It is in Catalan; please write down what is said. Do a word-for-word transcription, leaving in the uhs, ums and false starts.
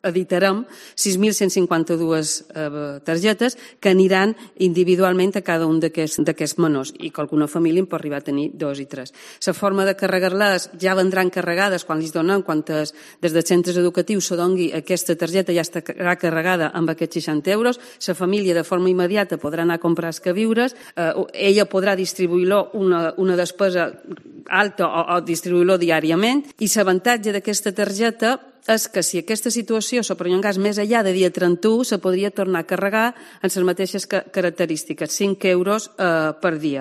editarem sis mil cent cinquanta-dues targetes que aniran individualment a cada un d'aquests menors i que alguna família en pot arribar a tenir dos i tres. La forma de carregar-les ja vendran carregades quan els donem, quan des dels centres educatius se doni aquesta targeta ja estarà carregada amb aquests seixanta euros. La família de forma immediata podrà anar a comprar els queviures, ella podrà distribuir-lo una despesa alta o distribuir-lo diàriament i l'avantatge d'aquesta targeta és que si aquesta situació se perllongés més enllà de dia trenta-u se podria tornar a carregar en les mateixes característiques, cinc euros per dia.